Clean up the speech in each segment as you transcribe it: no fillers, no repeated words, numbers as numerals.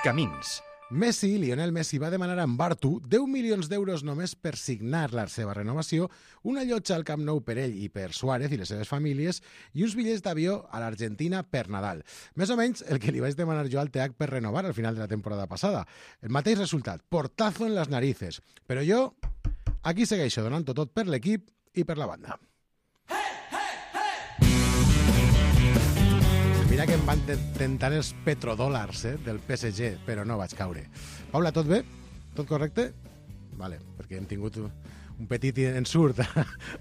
Camins. Lionel Messi, va demanar a Bartu 10 milions d'euros només per signar la seva renovació, una llotja al Camp Nou per ell i per Suárez i les seves famílies i uns bitllets d'avió a l'Argentina per Nadal. Més o menys el que li vaig demanar jo al TEAC per renovar al final de la temporada passada. El mateix resultat, portazo en les narices. Però jo aquí segueixo donant-ho tot per l'equip i per la banda. Mira que em van tentar els petrodòlars del PSG, però no vaig caure. Paula, tot bé? Tot correcte? Vale, perquè hem tingut un petit ensurt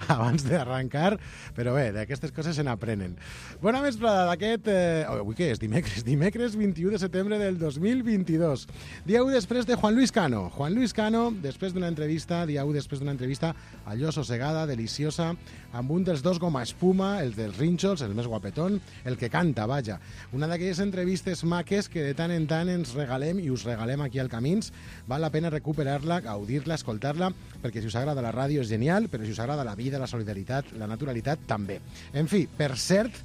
abans d'arrencar, però bé, d'aquestes coses se n'aprenen. Bona vesprada d'aquest... Avui què és? Dimecres 21 de setembre del 2022. Dia 1 després de Juan Luis Cano. Juan Luis Cano, després d'una entrevista, allò sossegada, deliciosa, amb un dels dos goma espuma, el dels rínxols, el més guapetón, el que canta, vaja. Una d'aquelles entrevistes maques que de tant en tant ens regalem i us regalem aquí al Camins. Val la pena recuperar-la, gaudir-la, escoltar-la, perquè si us agrada la ràdio és genial, però si us agrada la vida, la solidaritat, la naturalitat, també. En fi, per cert,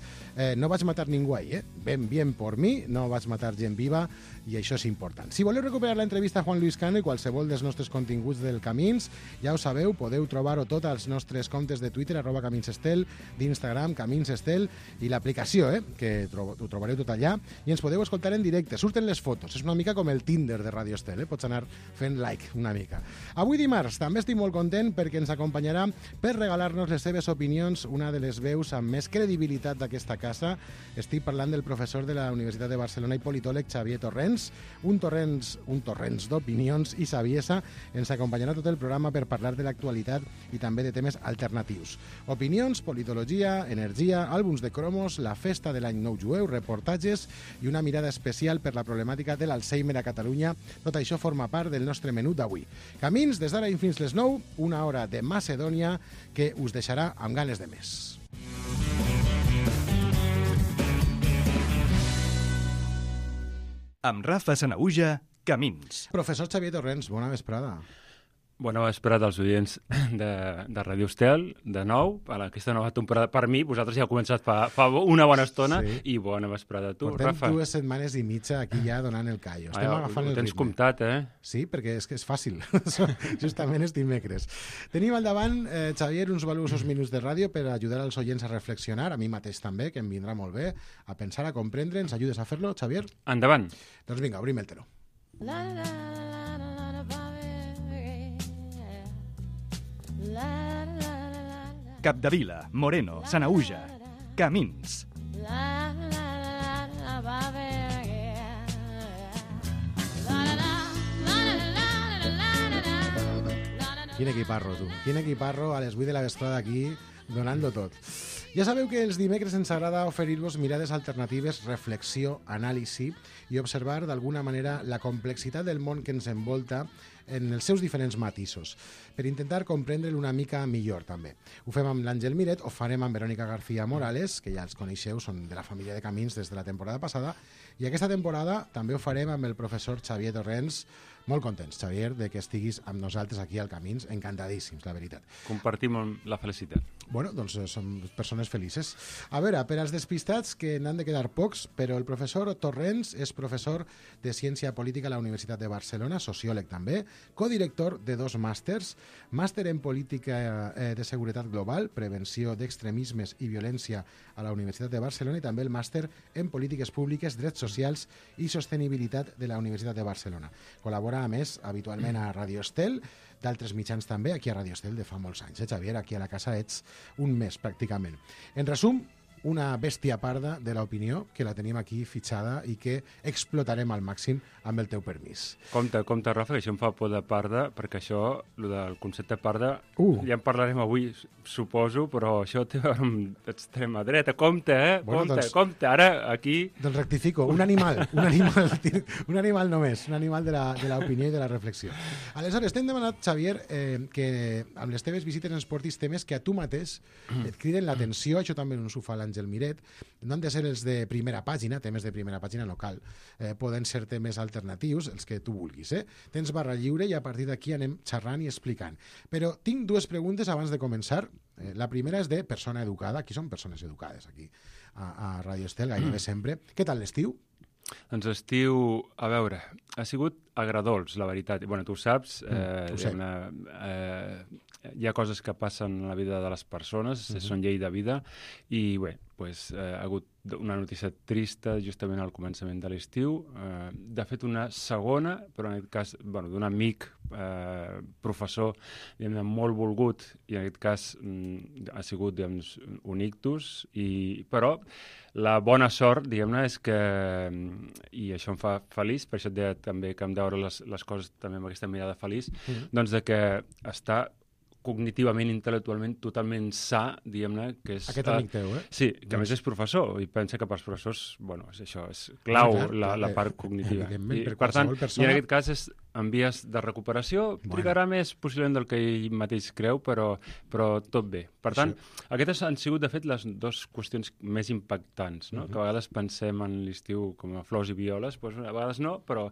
no vaig matar ningú ahir, bien por mi, no vaig matar gent viva, i això és important. Si voleu recuperar l'entrevista a Juan Luis Cano i qualsevol dels nostres continguts del Camins, ja ho sabeu, podeu trobar-ho tot als nostres comptes de Twitter, @CaminsEstel, d'Instagram, CaminsEstel, i l'aplicació, que ho trobareu tot allà, i ens podeu escoltar en directe. Surten les fotos, és una mica com el Tinder de Radio Estel, pots anar fent like una mica. Avui dimarts també estic molt content perquè ens acompanyarà per regalar-nos les seves opinions una de les veus amb més credibilitat d'aquesta casa. Estic parlant del professor de la Universitat de Barcelona i politòleg Xavier Torrens, un torrents d'opinions i saviesa. Ens acompanyarà tot el programa per parlar de l'actualitat i també de temes alternatius. Opinions, politologia, energia, àlbums de cromos, la festa de l'any nou jueu, reportatges i una mirada especial per la problemàtica de l'Alzheimer a Catalunya. Tot això forma part del nostre menú d'avui. Camins des d'ara i fins les 9, una hora de Macedònia que us deixarà amb ganes de més. Amb Rafa Sanahuja, Camins. Professor Xavier Torrens, bona vesprada. Bona vesprada als oients de Radio Estel, de nou, a aquesta nova temporada. Per mi, vosaltres ja heu començat fa una bona estona, sí. I bona vesprada a tu, Portem Rafa. 2 setmanes i mitja aquí ja donant el callo. Estem agafant el ritme. Tens comptat, Sí, perquè és que és fàcil. Justament és dimecres. Tenim al davant, Xavier, uns valuosos minuts de ràdio per ajudar als oients a reflexionar, a mi mateix també, que em vindrà molt bé, a pensar, a comprendre. Ens ajudes a fer-lo, Xavier? Endavant. Doncs vinga, obrim el teló. Capdevila, Moreno, Sanahuja, Camins. Quin equiparro, tu. Quin equiparro a les 8 de la vesprada aquí, donant-lo tot. Ja sabeu que els dimecres ens agrada oferir-vos mirades alternatives, reflexió, anàlisi i observar d'alguna manera la complexitat del món que ens envolta en els seus diferents matisos, per intentar comprendre'l una mica millor també. Ho fem amb l'Àngel Miret, ho farem amb Verònica García Morales, que ja els coneixeu, són de la família de Camins des de la temporada passada, i aquesta temporada també ho farem amb el professor Xavier Torrens. Molt contents, Xavier, de que estiguis amb nosaltres aquí al Camins, encantadíssims, la veritat. Compartim la felicitat. Bueno, doncs som persones felices. A veure, per als despistats, que n'han de quedar pocs, però el professor Torrens és professor de Ciència Política a la Universitat de Barcelona, sociòleg també, codirector de 2 màsters, màster en Política de Seguretat Global, Prevenció d'Extremismes i Violència a la Universitat de Barcelona i també el màster en Polítiques Públiques, Drets Socials i Sostenibilitat de la Universitat de Barcelona. Col·labora, a més, habitualment a Radio Estel, d'altres mitjans també, aquí a Radio Estel de fa molts anys. Xavier, aquí a la casa ets un mes, pràcticament. En resum, una bèstia parda de l'opinió, que la tenim aquí fitxada i que explotarem al màxim amb el teu permís. Compte, Rafa, que això em fa por de parda, perquè això, el del concepte parda, ja en parlarem avui, suposo, però això té a veure amb extrema dreta. Compte, Bueno, compte, ara aquí... Doncs rectifico, un animal només, un animal de l'opinió i de la reflexió. Aleshores, t'hem demanat, Xavier, que amb les teves visites ens portis temes que a tu mateix et criden l'atenció, això també ens ho fa l'Àngel Miret, no han de ser els de primera pàgina, temes de primera pàgina no cal, poden ser temes alternatius, els que tu vulguis. Tens barra lliure i a partir d'aquí anem xerrant i explicant. Però tinc 2 preguntes abans de començar. La primera és de persona educada. Aquí són persones educades, aquí a Radio Estel, gairebé sempre. Què tal l'estiu? Doncs l'estiu, a veure, ha sigut agradols, la veritat. Bueno, tu ho saps, hi ha coses que passen en la vida de les persones, són llei de vida, i bé, pues, ha hagut una notícia trista justament al començament de l'estiu. De fet, una segona, però en aquest cas d'un amic, professor, molt volgut, i en aquest cas ha sigut un ictus, però la bona sort, diguem-ne, és que, i això em fa feliç, per això et deia també que hem de veure les coses també amb aquesta mirada feliç, doncs de que està cognitivament, intel·lectualment, totalment sa, diguem-ne, que és... Aquest amic teu, Sí, que a més és professor, i pensa que pels professors, és això, és clau, la part cognitiva. Evidentment, per tant, i en aquest cas és en vies de recuperació, trigarà més possiblement del que ell mateix creu, però tot bé. Per tant, aquestes han sigut, de fet, les dues qüestions més impactants, no? Que a vegades pensem en l'estiu com a flors i violes, doncs a vegades no, però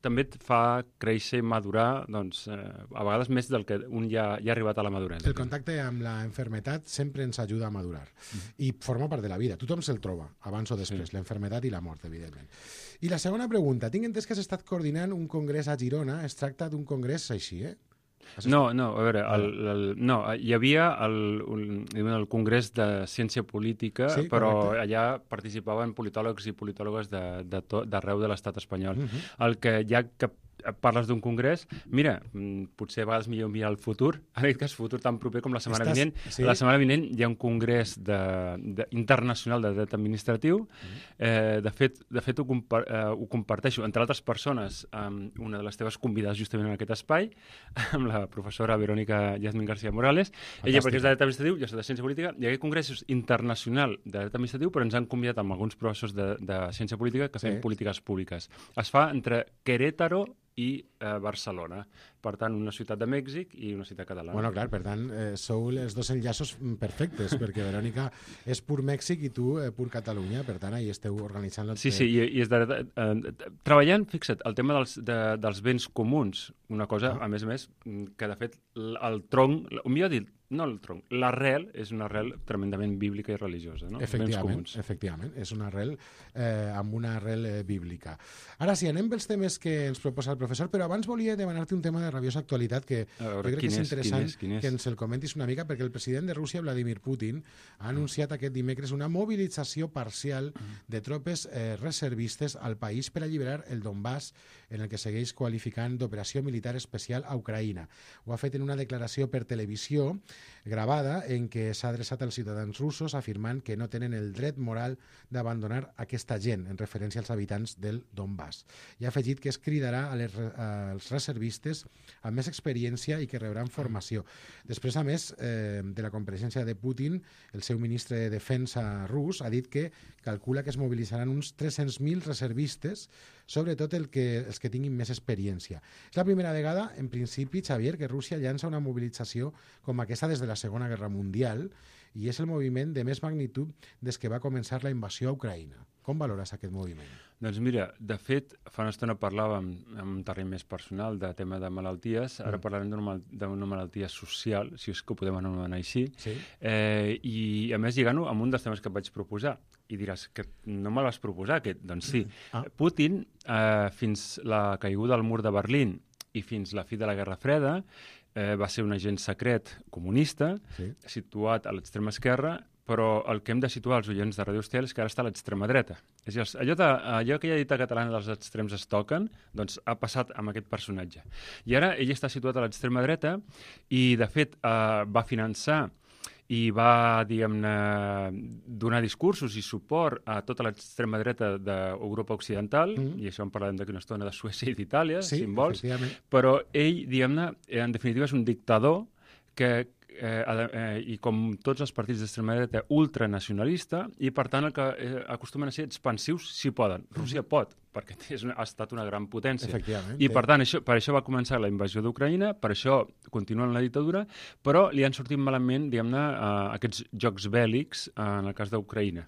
també et fa créixer i madurar, doncs, a vegades més del que un ja ha arribat a la maduresa. El contacte amb la enfermetat sempre ens ajuda a madurar i forma part de la vida. Tothom se'l troba, abans o després, l'enfermetat i la mort, evidentment. I la segona pregunta. Tinc entès que has estat coordinant un congrés a Girona. Es tracta d'un congrés així, No, a veure, hi havia el Congrés de Ciència Política, però allà participaven politòlegs i politòlogues d'arreu de l'estat espanyol. El que ja que parles d'un congrés, mira, potser a vegades millor mirar el futur, en aquest cas futur tan proper com la setmana vinent. La setmana vinent hi ha un congrés internacional de dret administratiu. De fet ho comparteixo, entre altres persones, amb una de les teves convidades justament en aquest espai, amb la professora Verónica Yasmín García Morales. Ella, perquè és de dret administratiu, jo soc de ciència política, hi ha aquest congrés internacional de dret administratiu, però ens han convidat amb alguns professors de ciència política que fem polítiques públiques. Es fa entre Querétaro i Barcelona. Per tant, una ciutat de Mèxic i una ciutat catalana. Bueno, clar, per tant, sou els dos enllaços perfectes, perquè Verònica és pur Mèxic i tu pur Catalunya, per tant, ahí esteu organitzant... Sí, i treballant, fixa't, el tema dels béns comuns, una cosa, a més, que de fet el tronc, o millor dit, no el tronc, l'arrel és una arrel tremendament bíblica i religiosa, no? Efectivament, és una arrel amb una arrel bíblica. Ara sí, anem pels temes que ens proposa el professor, però abans volia demanar-te un tema de rabiosa actualitat que jo crec que és interessant que ens el comentis una mica, perquè el president de Rússia, Vladimir Putin, ha anunciat aquest dimecres una mobilització parcial de tropes reservistes al país per alliberar el Donbass, en el que segueix qualificant d'operació militar especial a Ucraïna. Ho ha fet en una declaració per televisió gravada en què s'ha adreçat als ciutadans russos afirmant que no tenen el dret moral d'abandonar aquesta gent, en referència als habitants del Donbass. I ha afegit que es cridarà als reservistes amb més experiència i que rebran formació. Després, a més, de la compareixença de Putin, el seu ministre de Defensa rus ha dit que calcula que es mobilitzaran uns 300.000 reservistes, sobretot els que tinguin més experiència. És la primera vegada, en principi, Xavier, que Rússia llança una mobilització com aquesta des de la Segona Guerra Mundial i és el moviment de més magnitud des que va començar la invasió a Ucraïna. Com valores aquest moviment? Doncs mira, de fet, fa una estona parlàvem en un terreny més personal de tema de malalties, ara parlarem d'una malaltia social, si és que ho podem anomenar així, i a més lligant-ho amb un dels temes que et vaig proposar. I diràs que no me l'has proposat, aquest. Doncs sí. Putin, fins la caiguda del mur de Berlín i fins la fi de la Guerra Freda, va ser un agent secret comunista, situat a l'extrema esquerra, però el que hem de situar als oients de Radio Estel és que ara està a l'extrema dreta. És a dir, allò que ja ha dit a catalana dels extrems es toquen, doncs ha passat amb aquest personatge. I ara ell està situat a l'extrema dreta i, de fet, va finançar i va, diguem-ne, donar discursos i suport a tota l'extrema dreta d'Europa Occidental, i això en parlarem d'aquí una estona, de Suècia i d'Itàlia, si en vols, però ell, diguem-ne, en definitiva és un dictador que i com tots els partits d'extrema dreta ultranacionalista, i per tant el que acostumen a ser expansius si poden. Rússia pot, perquè ha estat una gran potència. I per tant, per això va començar la invasió d'Ucraïna, per això continua en la dictadura, però li han sortit malament, diguem-ne, aquests jocs bèl·lics en el cas d'Ucraïna.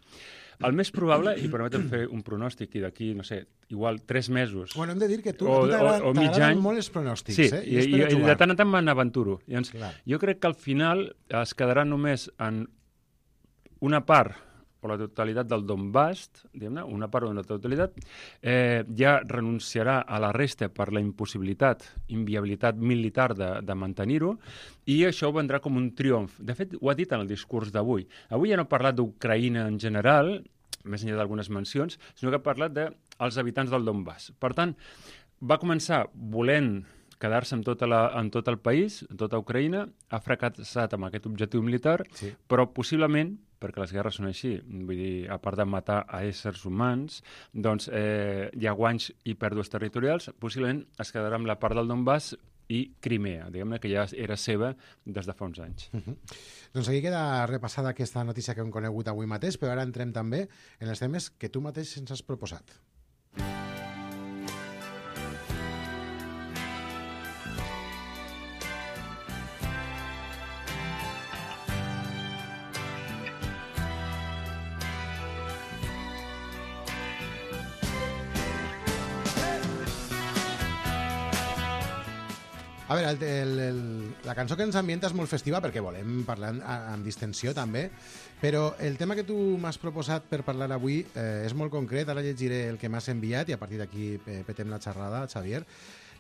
El més probable, i permetem fer un pronòstic, i d'aquí, no sé, igual 3 mesos... Bueno, hem de dir que tu t'agraden molt els pronòstics. Sí, i de tant en tant me n'aventuro. Jo crec que al final es quedarà només en una part o la totalitat del Donbass, diguem-ne, una part o una totalitat, ja renunciarà a la resta per la impossibilitat, inviabilitat militar de mantenir-ho, i això vendrà com un triomf. De fet, ho ha dit en el discurs d'avui. Avui ja no ha parlat d'Ucraïna en general, més enllà d'algunes mencions, sinó que ha parlat dels habitants del Donbass. Per tant, va començar volent quedar-se en tot el país, en tota Ucraïna, ha fracassat amb aquest objectiu militar, sí, però possiblement, perquè les guerres són així, vull dir, a part de matar a éssers humans, doncs hi ha guanys i pèrdues territorials, possiblement es quedarà amb la part del Donbass i Crimea, diguem-ne que ja era seva des de fa uns anys. Doncs aquí queda repassada aquesta notícia que hem conegut avui mateix, però ara entrem també en els temes que tu mateix ens has proposat. A veure, la cançó que ens ambienta és molt festiva perquè volem parlar amb distensió també, però el tema que tu m'has proposat per parlar avui és molt concret. Ara llegiré el que m'has enviat i a partir d'aquí petem la xerrada, Xavier.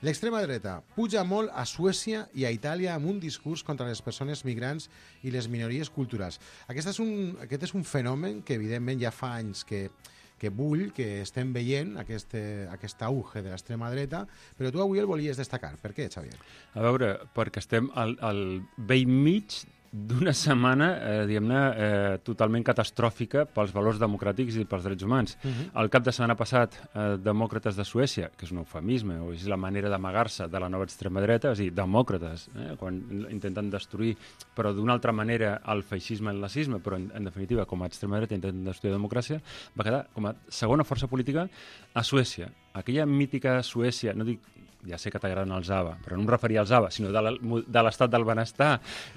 L'extrema dreta puja molt a Suècia i a Itàlia amb un discurs contra les persones migrants i les minories culturals. Aquest és un fenomen que evidentment ja fa anys que bull, que estem veient aquest auge de l'extrema dreta, però tu avui el volies destacar. Per què, Xavier? A veure, perquè estem al vell mig d'una setmana, diguem-ne, totalment catastròfica pels valors democràtics i pels drets humans. El cap de setmana passat, demòcrates de Suècia, que és un eufemisme, o és la manera d'amagar-se de la nova extrema dreta, és a dir, demòcrates, quan intenten destruir, però d'una altra manera, el feixisme i el nazisme, però en definitiva, com a extrema dreta intenten destruir la democràcia, va quedar com a segona força política a Suècia. Aquella mítica Suècia, no dic, ja sé que t'agraden els ABBA, però no em referia als ABBA, sinó de l'estat del benestar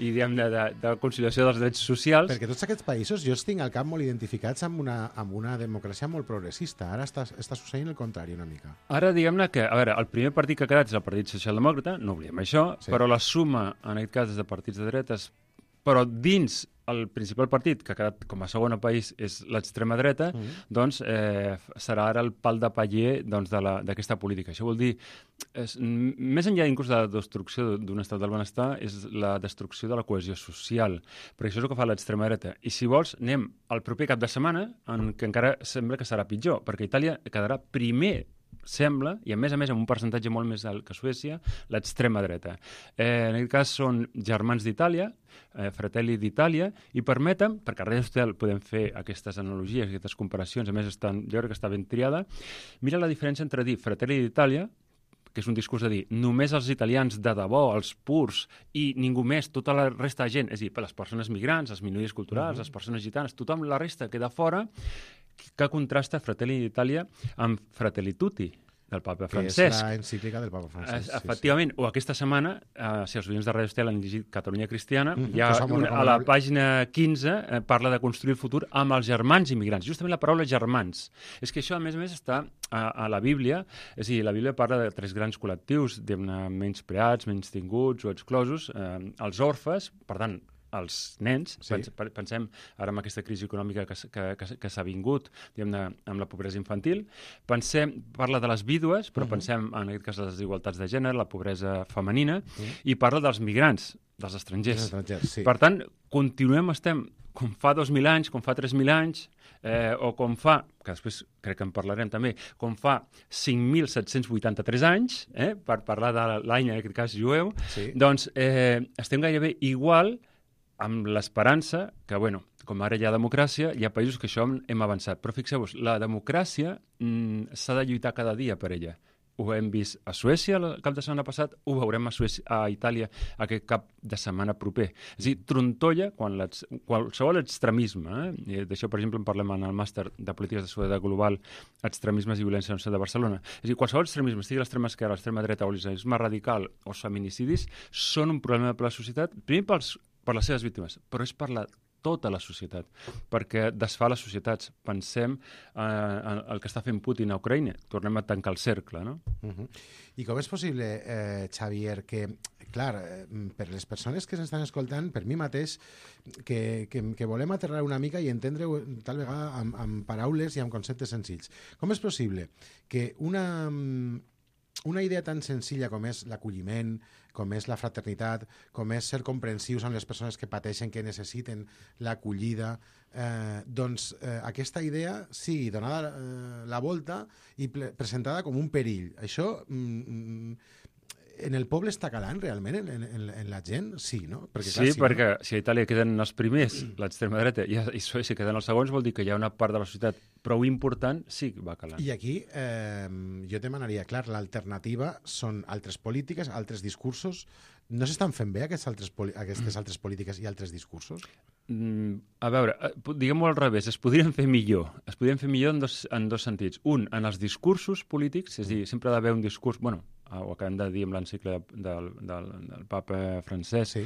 i de conciliació dels drets socials. Perquè tots aquests països jo els tinc al cap molt identificats amb una democràcia molt progressista. Ara està succeint el contrari una mica. Ara, diguem-ne que, a veure, el primer partit que ha quedat és el Partit Socialdemòcrata, no oblidem això, sí, però la suma, en aquest cas, és de partits de dretes, però dins el principal partit, que ha quedat com a segon país, és l'extrema dreta, doncs serà ara el pal de paller d'aquesta política. Això vol dir, més enllà inclús de la destrucció d'un estat del benestar, és la destrucció de la cohesió social, perquè això és el que fa l'extrema dreta. I si vols, anem al proper cap de setmana, en què encara sembla que serà pitjor, perquè Itàlia quedarà primer, sembla, i a més amb un percentatge molt més alt que Suècia, l'extrema dreta. En aquest cas són germans d'Itàlia, Fratelli d'Itàlia, i permeten, perquè a Radio Hostel podem fer aquestes analogies, aquestes comparacions, a més jo crec que està ben triada, mira la diferència entre dir Fratelli d'Itàlia, que és un discurs de dir només els italians de debò, els purs, i ningú més, tota la resta de gent, és a dir, les persones migrants, les minories culturals, les persones gitanes, tothom la resta queda fora, que contrasta Fratelli d'Itàlia amb Fratelli Tutti, del papa Francesc. Que és l'encíclica del papa Francesc. Efectivament, o aquesta setmana, si els oients de Radio Estel han llegit Catalunya Cristiana, a la pàgina 15 parla de construir el futur amb els germans immigrants. Justament la paraula germans. És que això, a més, està a la Bíblia, és a dir, la Bíblia parla de tres grans col·lectius, menyspreats, menystinguts o exclosos, els orfes, per tant, els nens, sí, pensem ara en aquesta crisi econòmica que s'ha vingut, diguem-ne, amb la pobresa infantil, parla de les vídues, però pensem en aquest cas les desigualtats de gènere, la pobresa femenina, i parla dels migrants, dels estrangers. Sí. Per tant, estem com fa 2.000 anys, com fa 3.000 anys, o com fa, que després crec que en parlarem també, com fa 5.783 anys, per parlar de l'any, en aquest cas, jueu, sí, doncs estem gairebé igual amb l'esperança que, com ara hi ha democràcia, hi ha països que això hem avançat. Però fixeu-vos, la democràcia s'ha de lluitar cada dia per ella. Ho hem vist a Suècia el cap de setmana passat, ho veurem a Itàlia aquest cap de setmana proper. És a dir, trontolla qualsevol extremisme. D'això, per exemple, en parlem en el màster de polítiques de seguretat global, extremismes i violència en el centre de Barcelona. És a dir, qualsevol extremisme, sigui l'extrema esquerra, l'extrema dreta o l'islamisme radical o els feminicidis, són un problema per la societat, primer per les seves víctimes, però és per tota la societat, perquè desfà les societats. Pensem en el que està fent Putin a Ucraïna. Tornem a tancar el cercle, no? I com és possible, Xavier, que clar, per les persones que s'estan escoltant, per mi mateix, que volem aterrar una mica i entendre tal vegada amb paraules i amb conceptes senzills. Com és possible que una idea tan senzilla com és l'acolliment, com és la fraternitat, com és ser comprensius amb les persones que pateixen, que necessiten l'acollida, doncs aquesta idea sigui donada la volta i presentada com un perill. Això en el poble està calant realment en la gent? Sí, no? Perquè, clar, sí, perquè si a Itàlia queden els primers, l'extrema dreta, i a Suècia queden els segons, vol dir que hi ha una part de la societat prou important, sí que va calant. I aquí jo te demanaria, clar, l'alternativa són altres polítiques, altres discursos. No s'estan fent bé aquestes altres polítiques i altres discursos? A veure, diguem-ho al revés, es podrien fer millor. Es podrien fer millor en dos sentits. Un, en els discursos polítics, és a dir, sempre ha d'haver un discurs... Bueno, ho acabem de dir amb l'encicle del papa francès, sí.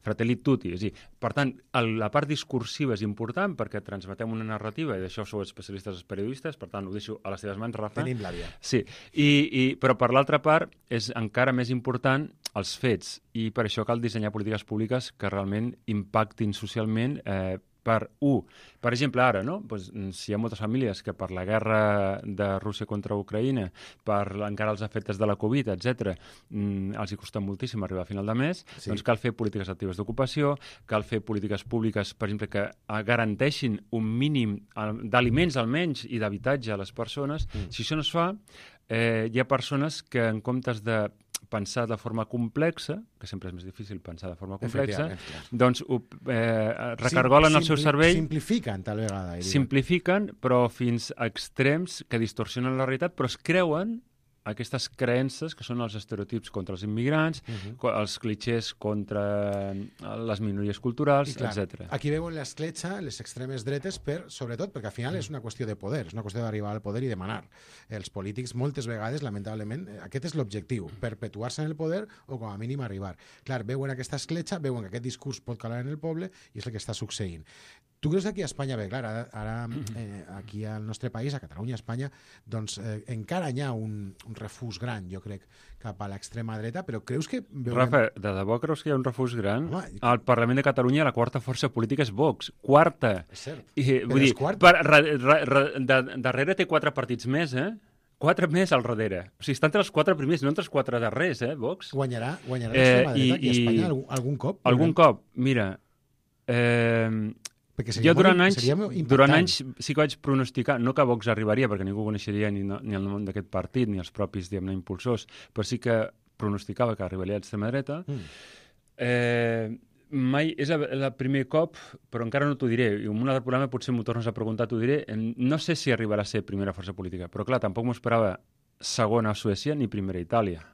Fratelli Tutti. És a dir, per tant, la part discursiva és important perquè transmetem una narrativa, i d'això sou especialistes els periodistes, per tant, ho deixo a les teves mans, Rafa. Tenim l'àvia. Sí, però per l'altra part és encara més important els fets, i per això cal dissenyar polítiques públiques que realment impactin socialment per exemple, ara, no? Pues, si hi ha moltes famílies que per la guerra de Rússia contra Ucraïna, per encara els efectes de la Covid, etc., els hi costa moltíssim arribar a final de mes, sí. Doncs cal fer polítiques actives d'ocupació, cal fer polítiques públiques, per exemple, que garanteixin un mínim d'aliments almenys i d'habitatge a les persones. Si això no es fa, hi ha persones que en comptes de pensar de forma complexa, que sempre és més difícil pensar de forma complexa, doncs recargolen el seu cervell... Simplifiquen, tal vegada. Simplifiquen, però fins a extrems que distorsionen la realitat, però es creuen aquestes creences que són els estereotips contra els immigrants, els clichés contra les minories culturals, etc. Aquí veuen l'escletxa, les extremes dretes, sobretot perquè al final és una qüestió de poder, és una qüestió d'arribar al poder i de manar. Els polítics moltes vegades, lamentablement, aquest és l'objectiu, perpetuar-se en el poder o com a mínim arribar. Clar, veuen aquesta escletxa, veuen que aquest discurs pot calar en el poble i és el que està succeint. Tu creus que aquí a Espanya, bé, clar, ara aquí al nostre país, a Catalunya, a Espanya, doncs encara hi ha un refús gran, jo crec, cap a l'extrema dreta, però creus que... Rafa, de debò creus que hi ha un refús gran? Home, al Parlament de Catalunya la quarta força política és Vox. Quarta! És cert. Vull dir, darrere té 4 partits més, 4 més al darrere. O sigui, està entre els 4 primers, no entre els 4 darrers, Vox. Guanyarà l'extrema dreta aquí a Espanya algun cop? Algun cop. Mira... Jo durant anys sí que vaig pronosticar, no que Vox arribaria, perquè ningú coneixeria ni el nom d'aquest partit, ni els propis, diguem-ne, impulsors, però sí que pronosticava que arribaria a l'extrema dreta. Mai és el primer cop, però encara no t'ho diré, i en un altre programa potser m'ho tornes a preguntar, t'ho diré. No sé si arribarà a ser primera força política, però clar, tampoc m'ho esperava segona a Suècia ni primera a Itàlia.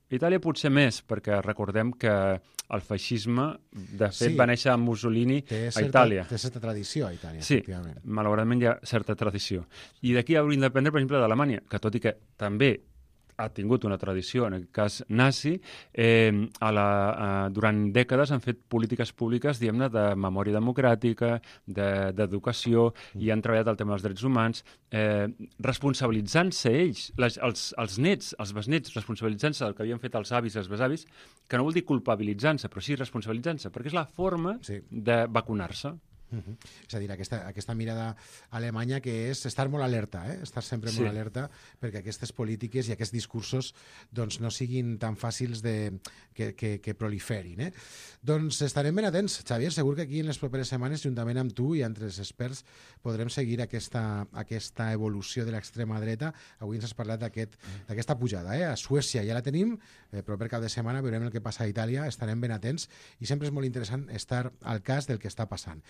Itàlia potser més, perquè recordem que el feixisme, de fet, va néixer amb Mussolini a Itàlia. Té certa tradició a Itàlia, sí, efectivament. Malauradament hi ha certa tradició. I d'aquí hauríem d'aprendre, per exemple, d'Alemanya, que tot i que també ha tingut una tradició, en aquest cas nazi, durant dècades han fet polítiques públiques, diguem-ne, de memòria democràtica, d'educació, i han treballat el tema dels drets humans, responsabilitzant-se ells, els nets, els besnets, responsabilitzant-se del que havien fet els avis i els besavis, que no vol dir culpabilitzant-se, però sí responsabilitzant-se, perquè és la forma de vacunar-se. És a dir, aquesta mirada alemanya que és estar molt alerta, estar sempre molt alerta perquè aquestes polítiques i aquests discursos doncs, no siguin tan fàcils que proliferin. Doncs estarem ben atents, Xavier, segur que aquí en les properes setmanes, juntament amb tu i altres experts, podrem seguir aquesta evolució de l'extrema dreta. Avui ens has parlat d'aquesta pujada. A Suècia ja la tenim, però per cap de setmana veurem el que passa a Itàlia, estarem ben atents i sempre és molt interessant estar al cas del que està passant.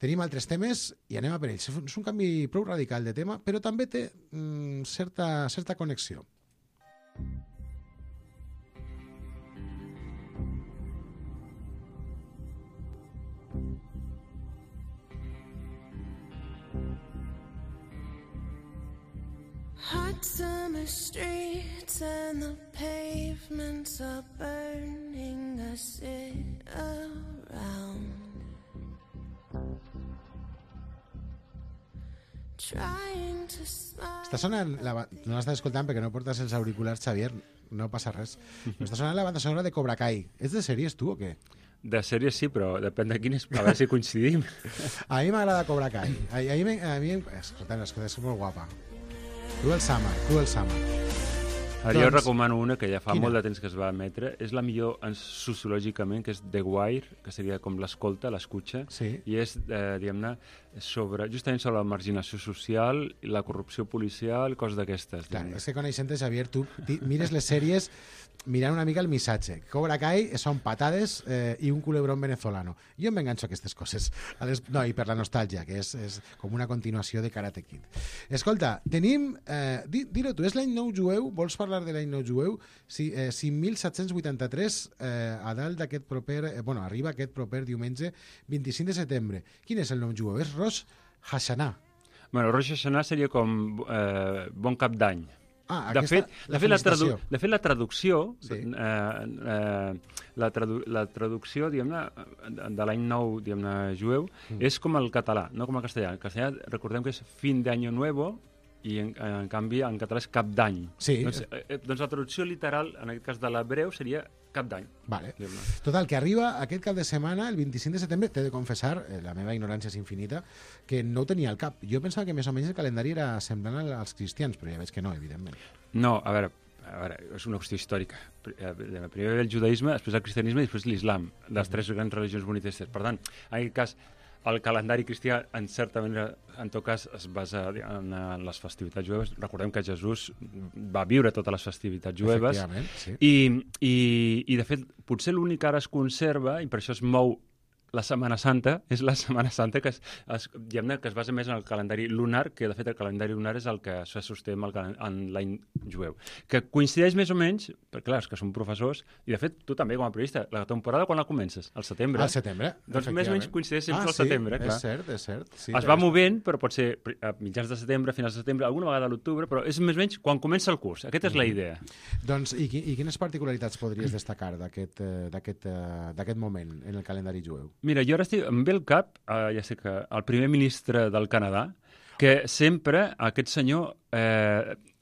Tenim altres temes i anem a per ells. És un canvi prou radical de tema, però també té certa connexió. Hot summer streets and the pavements are burning. I sit around trying to smile. Està sonant... No l'estàs escoltant perquè no portes els auriculars, Xavier, no passa res. Però està sonant la banda sonora de Cobra Kai. És de sèries, tu, o què? De sèries sí, però depèn de quines, a veure si coincidim. A mi m'agrada Cobra Kai. Escolta, és molt guapa. Cruel Summer. Ara jo recomano una que ja fa Quina? molt de temps que es va emetre. És la millor sociològicament, que és The Wire, que seria com l'escolta, l'escutxa, Sí. i és, diguem-ne, justament sobre la marginació social, la corrupció policial, coses d'aquestes. Clar, és que coneixent-te, Xavier, tu mires les sèries mirant una mica el missatge. Cobra Kai són patades i un culebrón venezolano. Jo em enganxo a aquestes coses. No, i per la nostàlgia, que és com una continuació de Karate Kid. Escolta, tenim... Dir-ho tu, és l'any nou jueu? Vols parlar de l'any nou jueu? 5.783 a dalt d'aquest proper... arriba aquest proper diumenge 25 de setembre. Quin és el nou jueu? És Rosh Hashanah. Bueno, Rosh Hashanah seria com bon cap d'any. Ah, de fet, la traducció, Sí. la traducció, diguem-ne, de l'any nou, diguem-ne, jueu, és com el català, no com el castellà. El castellà, recordem que és fin d'año nuevo, i en canvi en català és cap d'any. Sí. Doncs la traducció literal, en aquest cas de l'hebreu, seria cap d'any. Vale. Total, que arriba aquest cap de setmana, el 25 de setembre, t'he de confessar, la meva ignorància és infinita, que no ho tenia al cap. Jo pensava que més o menys el calendari era semblant als cristians, però ja veig que no, evidentment. No, a veure, és una qüestió històrica. Primer ve el judaïsme, després el cristianisme i després l'islam, les tres grans religions monoteistes. Per tant, en aquest cas, el calendari cristià, en certa manera, en tot cas, es basa en les festivitats jueves. Recordem que Jesús va viure totes les festivitats jueves. Efectivament, sí. I, de fet, potser l'únic que ara es conserva, i per això es mou la Setmana Santa, és la Setmana Santa que diguem-ne, que es basa més en el calendari lunar, que de fet el calendari lunar és el que se sosté en l'any jueu. Que coincideix més o menys, perquè clar, és que som professors, i de fet tu també com a periodista, la temporada quan la comences? Al setembre. Al setembre, Doncs més o menys coincideix sempre al setembre, clar. És cert. Sí, es va movent, però pot ser a mitjans de setembre, finals de setembre, alguna vegada a l'octubre, però és més o menys quan comença el curs. Aquesta és la idea. Doncs, i quines particularitats podries destacar d'aquest moment en el calendari jueu? Mira, jo ara em ve al cap, ja sé que el primer ministre del Canadà, que sempre aquest senyor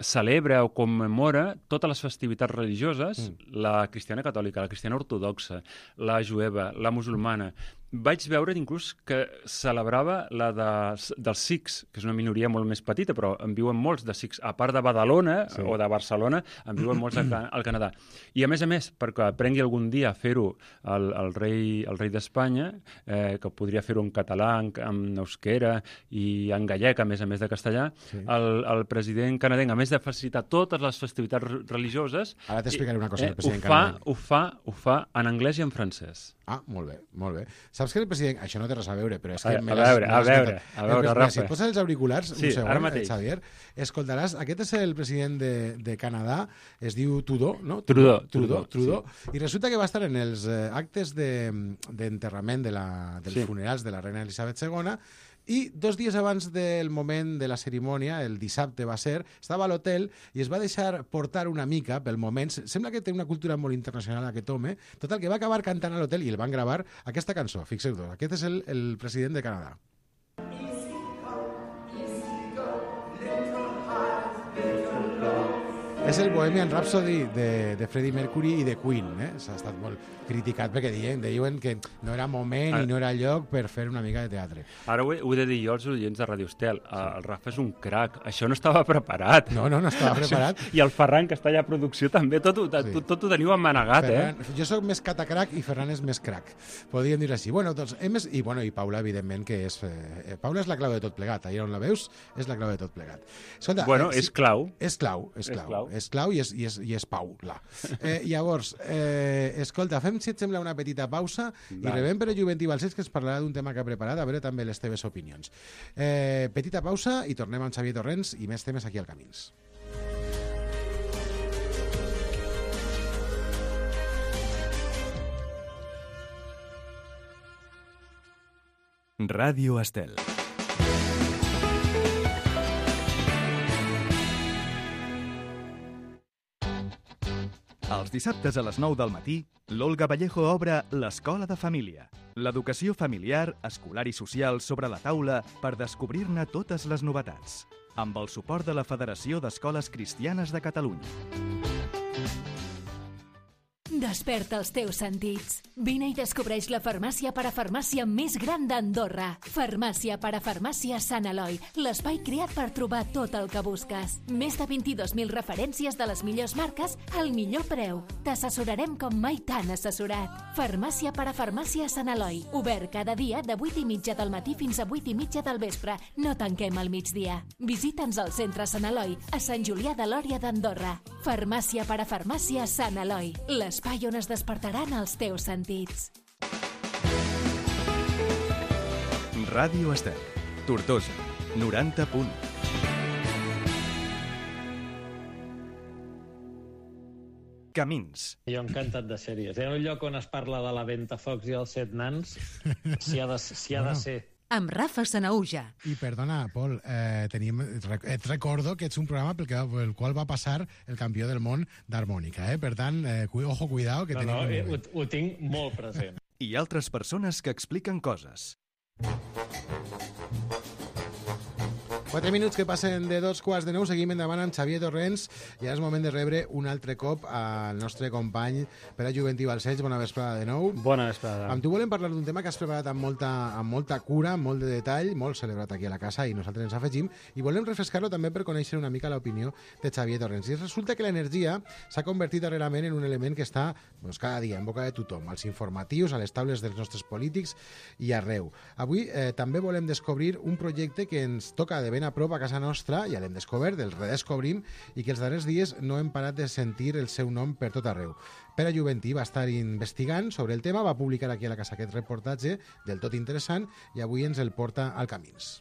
celebra o commemora totes les festivitats religioses, la cristiana catòlica, la cristiana ortodoxa, la jueva, la musulmana. Vaig veure inclús que celebrava la dels sikhs, que és una minoria molt més petita, però en viuen molts de sikhs. A part de Badalona o de Barcelona, en viuen molts al Canadà. I a més, perquè aprengui algun dia a fer-ho el rei d'Espanya, que podria fer-ho en català, en euskera i en gallec, a més de castellà, el president canadenc, a més de facilitar totes les festivitats religioses... Ara t'explicaré una cosa del president canadenc. Ho fa en anglès i en francès. Ah, molt bé. Saps que el president... Això no té res a veure, però és que... A veure, Rafa. Si et poses els auriculars, sí, un segon, ara mateix. Xavier, escoltaràs... Aquest és el president de Canadà, es diu Trudeau, no? Trudeau. Sí. I resulta que va estar en els actes d'enterrament dels funerals de la reina Elisabet II, i 2 dies abans del moment de la cerimònia, el dissabte va ser, estava a l'hotel i es va deixar portar una mica pel moment. Sembla que té una cultura molt internacional aquest home. Total, que va acabar cantant a l'hotel i el van gravar aquesta cançó. Fixeu-vos, aquest és el president de Canadà. És el Bohemian Rhapsody de Freddie Mercury i de Queen. S'ha estat molt criticat perquè diuen que no era moment i no era lloc per fer una mica de teatre. Ara ho he de dir jo als oients de Radio Estel. El Rafa és un crac. Això no estava preparat. No estava preparat. I el Ferran, que està allà a producció, també. Tot ho teniu emmanegat, Jo sóc més catacrac i Ferran és més crac. Podríem dir així. Doncs, i Paula, evidentment, que és... Paula és la clau de tot plegat. Allà on la veus, és la clau de tot plegat. Escolta, és clau. És clau i és Paula. Llavors, escolta, fem, si et sembla, una petita pausa i rebem per el Joventí Balcells, que ens parlarà d'un tema que ha preparat, a veure també les teves opinions. Petita pausa i tornem amb Xavier Torrents i més temes aquí al Camins. Ràdio Estel. Els dissabtes a les 9 del matí, l'Olga Vallejo obre l'Escola de Família. L'educació familiar, escolar i social sobre la taula per descobrir-ne totes les novetats. Amb el suport de la Federació d'Escoles Cristianes de Catalunya. Desperta els teus sentits. Vine i descobreix la farmàcia parafarmàcia més gran d'Andorra. Farmàcia parafarmàcia Sant Eloi, l'espai creat per trobar tot el que busques. Més de 22.000 referències de les millors marques al millor preu. T'assessorarem com mai t'han assessorat. Farmàcia parafarmàcia Sant Eloi, obert cada dia de 8:30 del matí fins a 8:30 del vespre. No tanquem al migdia. Visita'ns al centre Sant Eloi, a Sant Julià de Lòria d'Andorra. Farmàcia parafarmàcia Sant Eloi, l'espai on es despertaran els teus sentits. Ràdio Estel, Tortosa, 90 punt. Camins. Jo encantat de sèries. Hi ha un lloc on es parla de la Ventafocs i els 7 nans, si ha de ser. Amb Rafa Sanaúja. I perdona, Pol, et recordo que ets un programa pel qual va passar el campió del món d'harmònica, Per tant, ojo, cuidao, que tenim... Ho tinc molt present. I altres persones que expliquen coses. 4 minuts que passen de 8:45, seguim endavant amb Xavier Torrents i ara és moment de rebre un altre cop al nostre company Pere Juventí Balcells. Bona vesprada de nou. Bona vesprada. Amb tu volem parlar d'un tema que has preparat amb molta cura, amb molt de detall, molt celebrat aquí a la casa i nosaltres ens afegim, i volem refrescar-lo també per conèixer una mica l'opinió de Xavier Torrents. I resulta que l'energia s'ha convertit darrerament en un element que està cada dia en boca de tothom, als informatius, a les taules dels nostres polítics i arreu. Avui també volem descobrir un projecte que ens toca de ben a prop a casa nostra, ja l'hem descobert, el redescobrim, i que els darrers dies no hem parat de sentir el seu nom per tot arreu. Pere Juventí va estar investigant sobre el tema, va publicar aquí a la casa aquest reportatge del tot interessant i avui ens el porta al Camins.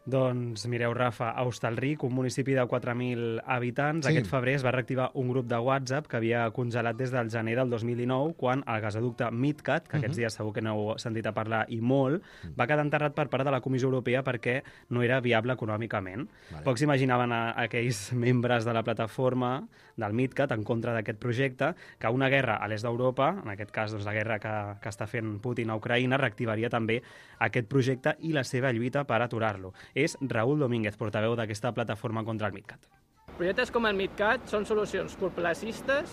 Doncs mireu, Rafa, a Hostalric, un municipi de 4.000 habitants, aquest febrer es va reactivar un grup de WhatsApp que havia congelat des del gener del 2019, quan el gasoducte MidCat, que aquests dies segur que n'heu sentit a parlar i molt, va quedar enterrat per part de la Comissió Europea perquè no era viable econòmicament. Pocs imaginaven aquells membres de la plataforma del MidCat en contra d'aquest projecte que una guerra a l'est d'Europa, en aquest cas doncs, la guerra que està fent Putin a Ucraïna, reactivaria també aquest projecte i la seva lluita per aturar-lo. És Raúl Domínguez, portaveu d'aquesta plataforma contra el MidCat. Projectes com el MidCat són solucions curtplacistes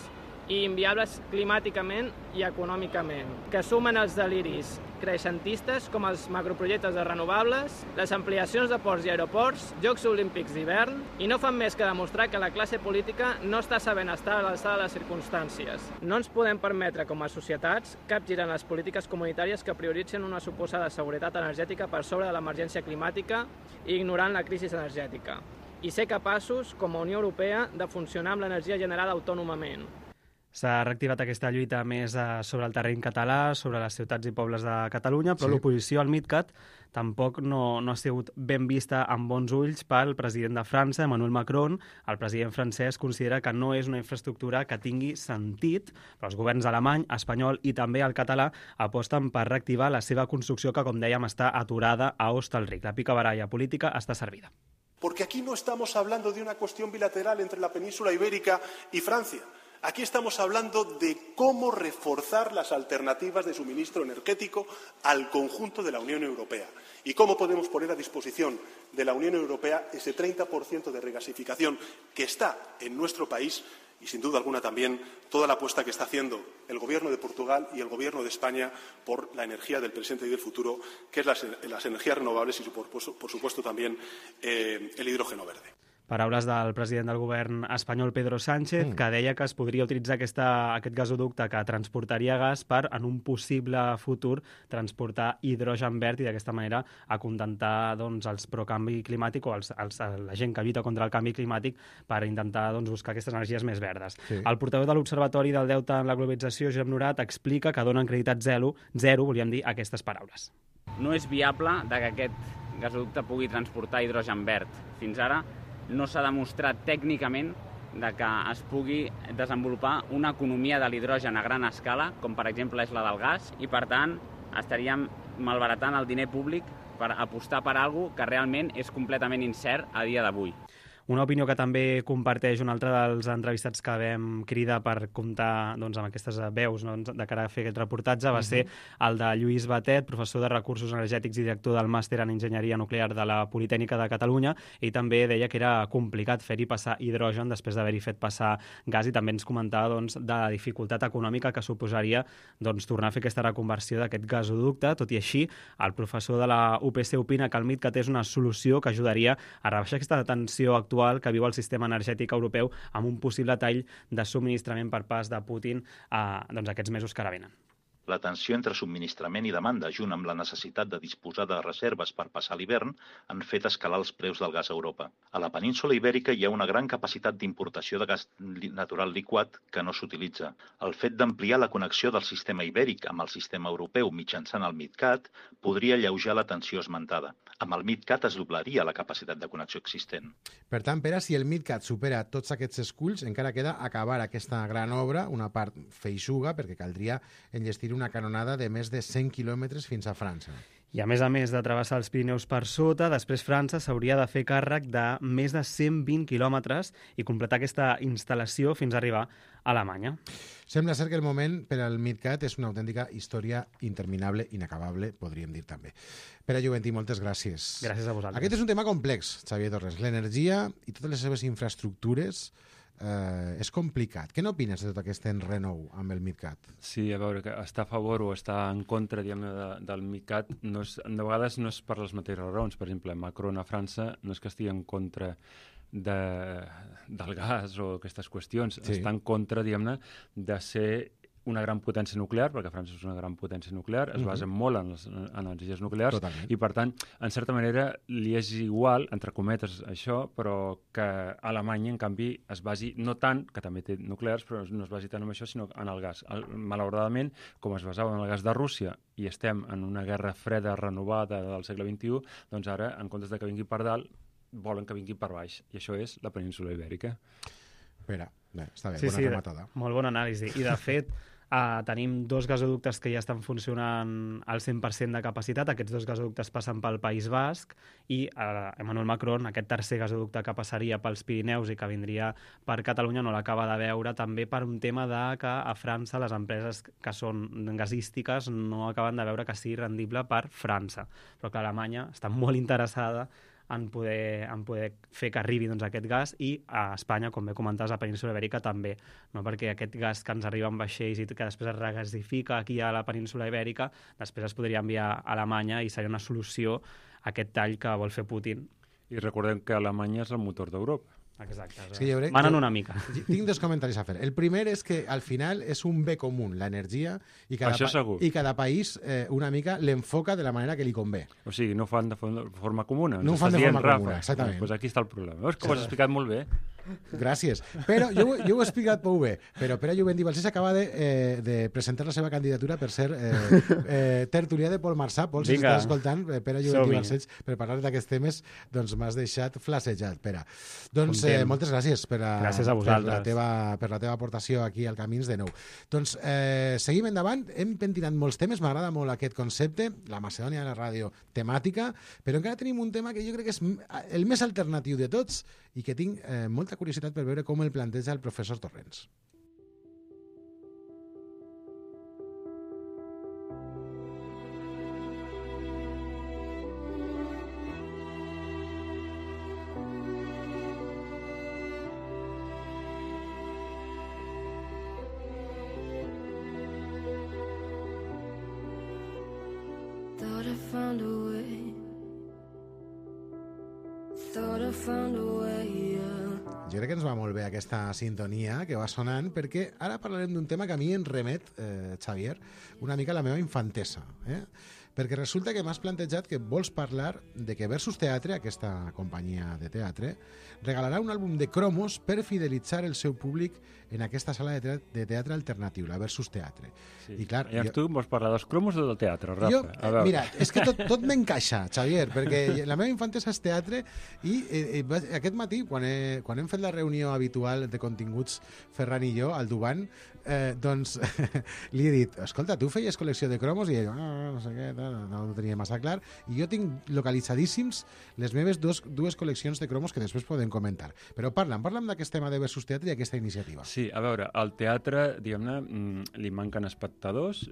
i inviables climàticament i econòmicament, que sumen els deliris creixentistes com els macroprojectes de renovables, les ampliacions de ports i aeroports, Jocs Olímpics d'hivern, i no fan més que demostrar que la classe política no està sabent estar a l'alçada de les circumstàncies. No ens podem permetre, com a societats, capgirar les polítiques comunitàries que prioritzen una suposada seguretat energètica per sobre de l'emergència climàtica i ignorant la crisi energètica. I ser capaços, com a Unió Europea, de funcionar amb l'energia generada autònomament. S'ha reactivat aquesta lluita més sobre el terreny català, sobre les ciutats i pobles de Catalunya, però l'oposició al MidCat tampoc no ha sigut ben vista amb bons ulls pel president de França, Emmanuel Macron. El president francès considera que no és una infraestructura que tingui sentit, però els governs alemany, espanyol i també el català aposten per reactivar la seva construcció que, com dèiem, està aturada a Hostalric. La picabaralla política està servida. Porque aquí no estamos hablando de una cuestión bilateral entre la península ibérica y Francia. Aquí estamos hablando de cómo reforzar las alternativas de suministro energético al conjunto de la Unión Europea y cómo podemos poner a disposición de la Unión Europea ese 30% de regasificación que está en nuestro país y, sin duda alguna, también toda la apuesta que está haciendo el Gobierno de Portugal y el Gobierno de España por la energía del presente y del futuro, que es las energías renovables y, por supuesto, también el hidrógeno verde. Paraules del president del govern espanyol, Pedro Sánchez, que deia que es podria utilitzar aquest gasoducte que transportaria gas per, en un possible futur, transportar hidrogen verd i d'aquesta manera acontentar els pro-canvi climàtic o la gent que lluita contra el canvi climàtic per intentar buscar aquestes energies més verdes. El portaveu de l'Observatori del Deute en la Globalització, Josep Norat, explica que donen creditat zero, volíem dir aquestes paraules. No és viable que aquest gasoducte pugui transportar hidrogen verd. Fins ara no s'ha demostrat tècnicament que es pugui desenvolupar una economia de l'hidrogen a gran escala, com per exemple és la del gas, i per tant estaríem malbaratant el diner públic per apostar per alguna cosa que realment és completament incert a dia d'avui. Una opinió que també comparteix un altre dels entrevistats que vam cridar per comptar amb aquestes veus de cara a fer aquest reportatge va ser el de Lluís Batet, professor de Recursos Energètics i director del Màster en Enginyeria Nuclear de la Politècnica de Catalunya. Ell també deia que era complicat fer-hi passar hidrogen després d'haver-hi fet passar gas i també ens comentava de la dificultat econòmica que suposaria tornar a fer aquesta reconversió d'aquest gasoducte. Tot i així, el professor de la UPC opina que el MidCat és una solució que ajudaria a rebaixar aquesta tensió actual que viu el sistema energètic europeu amb un possible tall de subministrament per pas de Putin aquests mesos que ara venen. La tensió entre subministrament i demanda, junt amb la necessitat de disposar de reserves per passar l'hivern, han fet escalar els preus del gas a Europa. A la península Ibèrica hi ha una gran capacitat d'importació de gas natural liquat que no s'utilitza. El fet d'ampliar la connexió del sistema ibèric amb el sistema europeu mitjançant el MidCat podria alleujar la tensió esmentada. Amb el MidCat es doblaria la capacitat de connexió existent. Per tant, Pere, si el MidCat supera tots aquests esculls, encara queda acabar aquesta gran obra, una part feixuga, perquè caldria enllestir una canonada de més de 100 quilòmetres fins a França. I a més de travessar els Pirineus per sota, després França s'hauria de fer càrrec de més de 120 quilòmetres i completar aquesta instal·lació fins a arribar a Alemanya. Sembla ser que el moment per al MidCat és una autèntica història interminable, inacabable, podríem dir també. Pere Juventí, moltes gràcies. Gràcies a vosaltres. Aquest és un tema complex, Xavier Torres. L'energia i totes les seves infraestructures és complicat. Què n'opines de tot aquest enrenou amb el MidCat? Sí, a veure, que està a favor o està en contra del MidCat de vegades no és per les mateixes raons. Per exemple, Macron a França no és que estigui en contra del gas o aquestes qüestions. Sí. Està en contra, diguem-ne, de ser una gran potència nuclear, perquè França és una gran potència nuclear, es basa molt en les energies nuclears. Totalment. I, per tant, en certa manera, li és igual, entre cometes, això, però que Alemanya, en canvi, es basi, no tant, que també té nuclears, però no es basi tant en això, sinó en el gas. Malauradament, com es basava en el gas de Rússia i estem en una guerra freda renovada del segle XXI, doncs ara, en comptes de que vingui per dalt, volen que vingui per baix. I això és la península Ibèrica. Espera, està bé, bona rematada. Molt bona anàlisi. I, de fet, tenim 2 gasoductes que ja estan funcionant al 100% de capacitat. Aquests 2 gasoductes passen pel País Basc i Emmanuel Macron, aquest tercer gasoducte que passaria pels Pirineus i que vindria per Catalunya, no l'acaba de veure, també per un tema de que a França les empreses que són gasístiques no acaben de veure que sigui rendible per França. Però que Alemanya està molt interessada en poder fer que arribi aquest gas i a Espanya, com bé comentaves, a la península Ibèrica també, no? Perquè aquest gas que ens arriba en vaixells i que després es regasifica aquí a la península Ibèrica, després es podria enviar a Alemanya i seria una solució a aquest tall que vol fer Putin. I recordem que Alemanya és el motor d'Europa. Exacte. És que manen una mica. Tinc 2 comentaris a fer. El primer és que al final és un bé comú, l'energia, i cada país una mica l'enfoca de la manera que li convé. O sigui, no ho fan de forma comuna. No ho fan de forma comuna, exactament. Doncs aquí està el problema. Veus que ho has explicat molt bé? Gràcies. Però jo ho he explicat prou bé. Però Pere Juventí Balcells acaba de presentar la seva candidatura per ser tertulià de Pol Marçà. Pol, si estàs escoltant, Pere Juventí Balcells, per parlar d'aquests temes, doncs m'has deixat flasejat, Pere. Doncs moltes gràcies per la teva aportació aquí al Camins de Nou. Doncs seguim endavant. Hem pentinat molts temes. M'agrada molt aquest concepte, la Macedònia de la ràdio temàtica, però encara tenim un tema que jo crec que és el més alternatiu de tots i que tinc molta curiositat per veure com el planteja el professor Torrents. Thought I found a way. Thought I found a way, Jo crec que ens va molt bé aquesta sintonia que va sonant, perquè ara parlarem d'un tema que a mi em remet, Xavier, una mica a la meva infantesa. Perquè resulta que m'has plantejat que vols parlar de que Versus Teatre, aquesta companyia de teatre, regalarà un àlbum de cromos per fidelitzar el seu públic en aquesta sala de teatre alternatiu, la Versus Teatre. Sí. I clar, tu vols parlar dels cromos o del teatre, Rafa? Mira, és que tot m'encaixa, Xavier, perquè la meva infantesa és teatre i aquest matí, quan hem fet la reunió habitual de continguts Ferran i jo, al Duban, doncs li he dit, escolta, tu feies col·lecció de cromos? I ell, no sé què, tal. no ho tenia massa clar, i jo tinc localitzadíssims les meves dues col·leccions de cromos que després podem comentar. Però parla'm d'aquest tema de Versus Teatre i aquesta iniciativa. Sí, a veure, al teatre, diguem-ne, li manquen espectadors,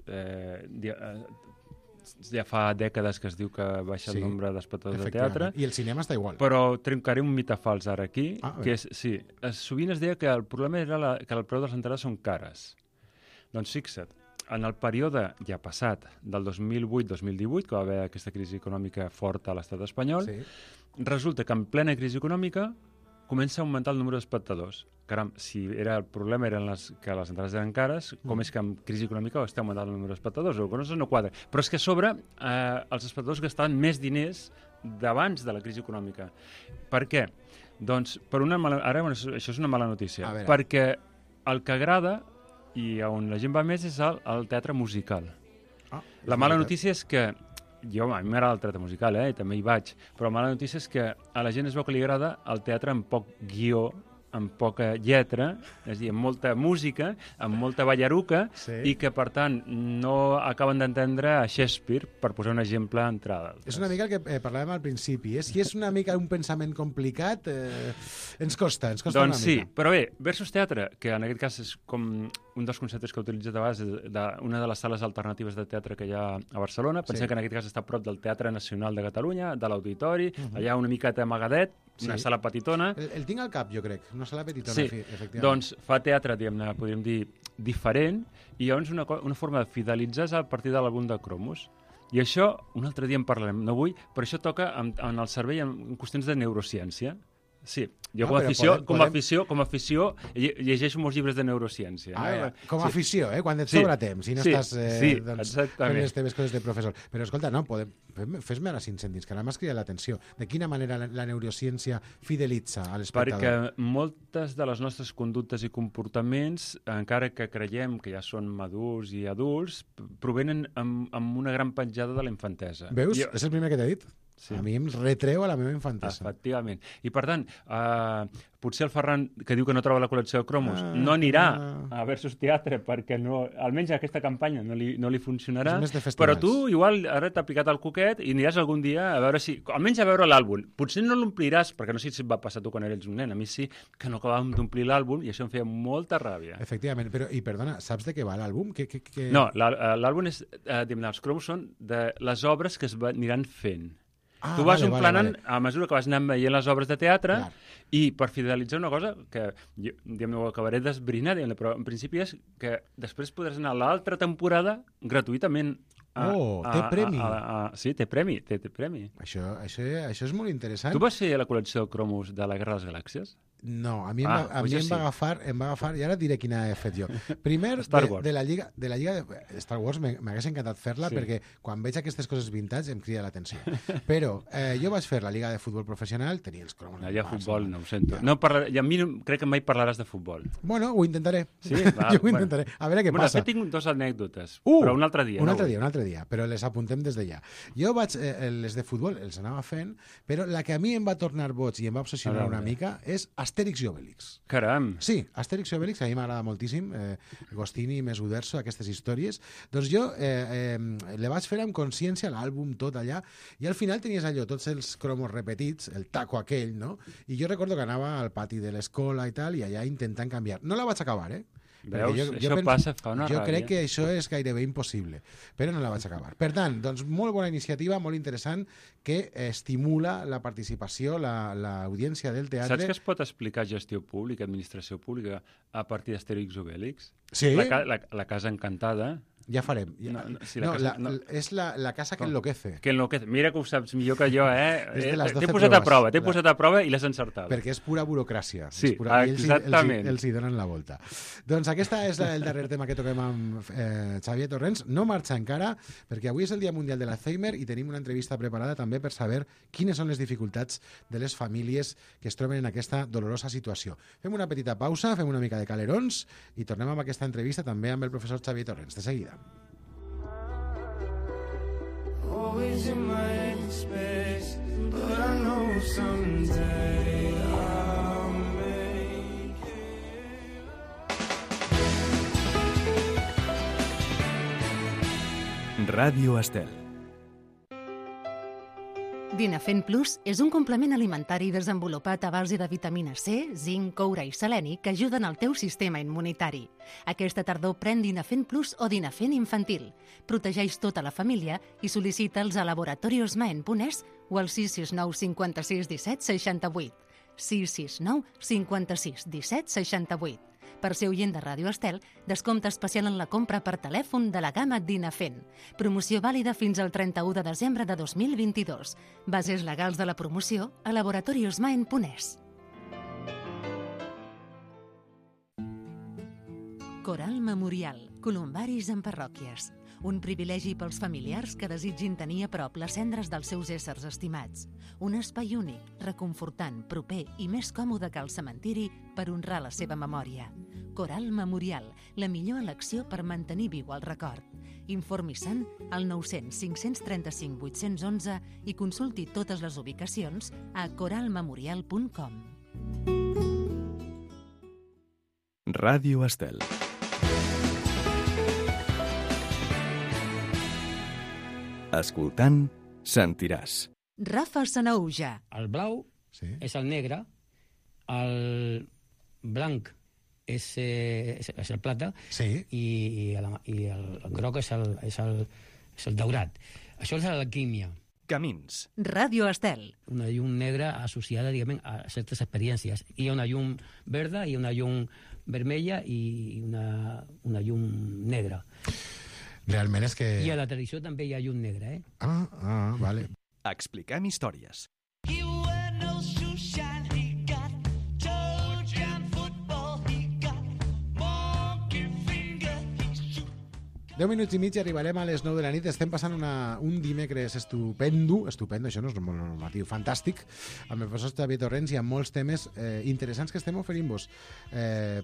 ja fa dècades que es diu que baixa el nombre d'espectadors de teatre. I el cinema està igual. Però trencaré un mite fals ara aquí, que és, sí, sovint es deia que el problema era que el preu de les entrades són cares. Doncs fixa't, en el període ja passat, del 2008-2018, que va haver aquesta crisi econòmica forta a l'estat espanyol, resulta que en plena crisi econòmica comença a augmentar el número d'espectadors. Caram, si el problema eren que les entrades eren cares, com és que amb crisi econòmica està augmentant el número d'espectadors? O que no quadra. Però és que a sobre els espectadors gastaven més diners d'abans de la crisi econòmica. Per què? Doncs, això és una mala notícia. Perquè el que agrada i on la gent va més és al teatre musical. La mala notícia és que a mi m'agrada el teatre musical, i també hi vaig, però la mala notícia és que a la gent es veu que li agrada el teatre amb poc guió, amb poca lletra, és a dir, amb molta música, amb molta ballaruca, i que, per tant, no acaben d'entendre a Shakespeare, per posar un exemple d'entrada. És una mica el que parlàvem al principi. Si és una mica un pensament complicat, ens costa una mica. Doncs sí, però bé, Versus Teatre, que en aquest cas és com un dels conceptes que he utilitzat a vegades, una de les sales alternatives de teatre que hi ha a Barcelona. Pensem que en aquest cas està a prop del Teatre Nacional de Catalunya, de l'Auditori, allà una miqueta amagadet, una sala petitona. El tinc al cap, jo crec, una sala petitona, efectivament. Doncs fa teatre, podríem dir, diferent, i llavors una forma de fidelitzar és a partir de l'àlbum de cromos. I això, un altre dia en parlarem, no vull, però això toca en el cervell en qüestions de neurociència. Sí, jo com a afició llegeixo molts llibres de neurociència. Com a afició, quan et sobra temps i no estàs fent les teves coses de professor. Però escolta, fes-me ara 5 cèntims, que ara m'has cridat l'atenció. De quina manera la neurociència fidelitza a l'espectador? Perquè moltes de les nostres conductes i comportaments, encara que creiem que ja són madurs i adults, provenen amb una gran penjada de la infantesa. Veus? És el primer que t'he dit. Sí. A mi em retreu a la meva infantesa. Efectivament. I, per tant, potser el Ferran, que diu que no troba la col·lecció de cromos, no anirà a Versus Teatre perquè almenys aquesta campanya no li funcionarà, però tu igual ara t'ha picat el coquet i aniràs algun dia a veure almenys a veure l'àlbum. Potser no l'ompliràs, perquè no sé si et va passar tu quan eres un nen. A mi sí que no acabàvem d'omplir l'àlbum i això em feia molta ràbia. Efectivament, però, i perdona, saps de què va l'àlbum? No, l'àlbum és, els cromos són de les obres que es aniran fent. Tu vas emplenant a mesura que vas anar veient les obres de teatre i per fidelitzar una cosa que ho acabaré d'esbrinar, però en principi és que després podràs anar a l'altra temporada gratuïtament. Té premi. Sí, té premi. Això és molt interessant. Tu vas fer la col·lecció de cromos de la Guerra de les Galàxies? No, a mi em va agafar, i ara diré quina he fet jo. Primer, de la Lliga de Star Wars m'hagués encantat fer-la perquè quan veig aquestes coses vintage em crida l'atenció. Però jo vaig fer la Lliga de Futbol Professional, tenia els cromos. Allà futbol, no ho sento. I a mi crec que mai parlaràs de futbol. Bueno, ho intentaré. Sí? Jo ho intentaré. A veure què passa. Tinc 2 anècdotes, però un altre dia. Un altre dia, però les apuntem des d'allà. Jo vaig, les de futbol els anava fent, però la que a mi em va tornar boig i em va obsessionar una mica és Astèrix i Obélix. Caram! Sí, Astèrix i Obélix, a mi m'agrada moltíssim, Gostini, més Uderzo, aquestes històries. Doncs jo le vaig fer amb consciència l'àlbum tot allà, i al final tenies allò, tots els cromos repetits, el taco aquell, no? I jo recordo que anava al pati de l'escola i tal, i allà intentant canviar. No la vaig acabar, Veus? Això passa, fa una ràbia. Jo crec que això és gairebé impossible, però no la vaig acabar. Per tant, doncs, molt bona iniciativa, molt interessant, que estimula la participació, l'audiència del teatre. Saps que es pot explicar gestió pública, administració pública, a partir d'Astèrix i Obélix? Sí. La Casa Encantada. Ja farem. És la casa que enloquece. Que enloquece. Mira que ho saps millor que jo, T'he posat a prova i l'has encertat. Perquè és pura burocràcia. Sí, exactament. Ells hi donen la volta. Doncs aquesta és el darrer tema que toquem amb Xavier Torrents. No marxa encara, perquè avui és el Dia Mundial de l'Alzheimer i tenim una entrevista preparada també per saber quines són les dificultats de les famílies que es troben en aquesta dolorosa situació. Fem una petita pausa, fem una mica de calerons i tornem amb aquesta entrevista també amb el professor Xavier Torrents. De seguida. Always in my headspace, but I know someday I'll make it. Ràdio Estel. Dinafen Plus és un complement alimentari desenvolupat a base de vitamina C, zinc, coure i seleni que ajuden al teu sistema immunitari. Aquesta tardor pren Dinafen Plus o Dinafen infantil. Protegeix tota la família i sol·licita'ls a laboratoriosmaen.es o al 669 56 17 68. 669 56 17 68. Per ser oient de Ràdio Estel, descompte especial en la compra per telèfon de la gamma Dinafen. Promoció vàlida fins al 31 de desembre de 2022. Bases legals de la promoció a laboratoriosmaen.es. Coral Memorial. Columbaris en parròquies. Un privilegi pels familiars que desitgin tenir a prop les cendres dels seus éssers estimats. Un espai únic, reconfortant, proper i més còmode que el cementiri per honrar la seva memòria. Coral Memorial, la millor elecció per mantenir viu el record. Informi-se'n al 900 535 811 i consulti totes les ubicacions a coralmemorial.com. Ràdio Estel. Escoltant, sentiràs. Rafa Sanaúja. El blau és el negre, el blanc és el plata i el groc és el daurat. Això és l'alquímia. Camins. Ràdio Estel. Una llum negra associada, diguem, a certes experiències. Hi ha una llum verda i una llum vermella i una llum negra. Realment és que... I a la tradició també hi ha llum negra, eh? Vale. Expliquem històries. 10 minuts i mig i arribarem a les 9 de la nit. Estem passant un dimecres estupendo, això no és molt normatiu, fantàstic, amb el professor Xavier Torrents i amb molts temes interessants que estem oferint-vos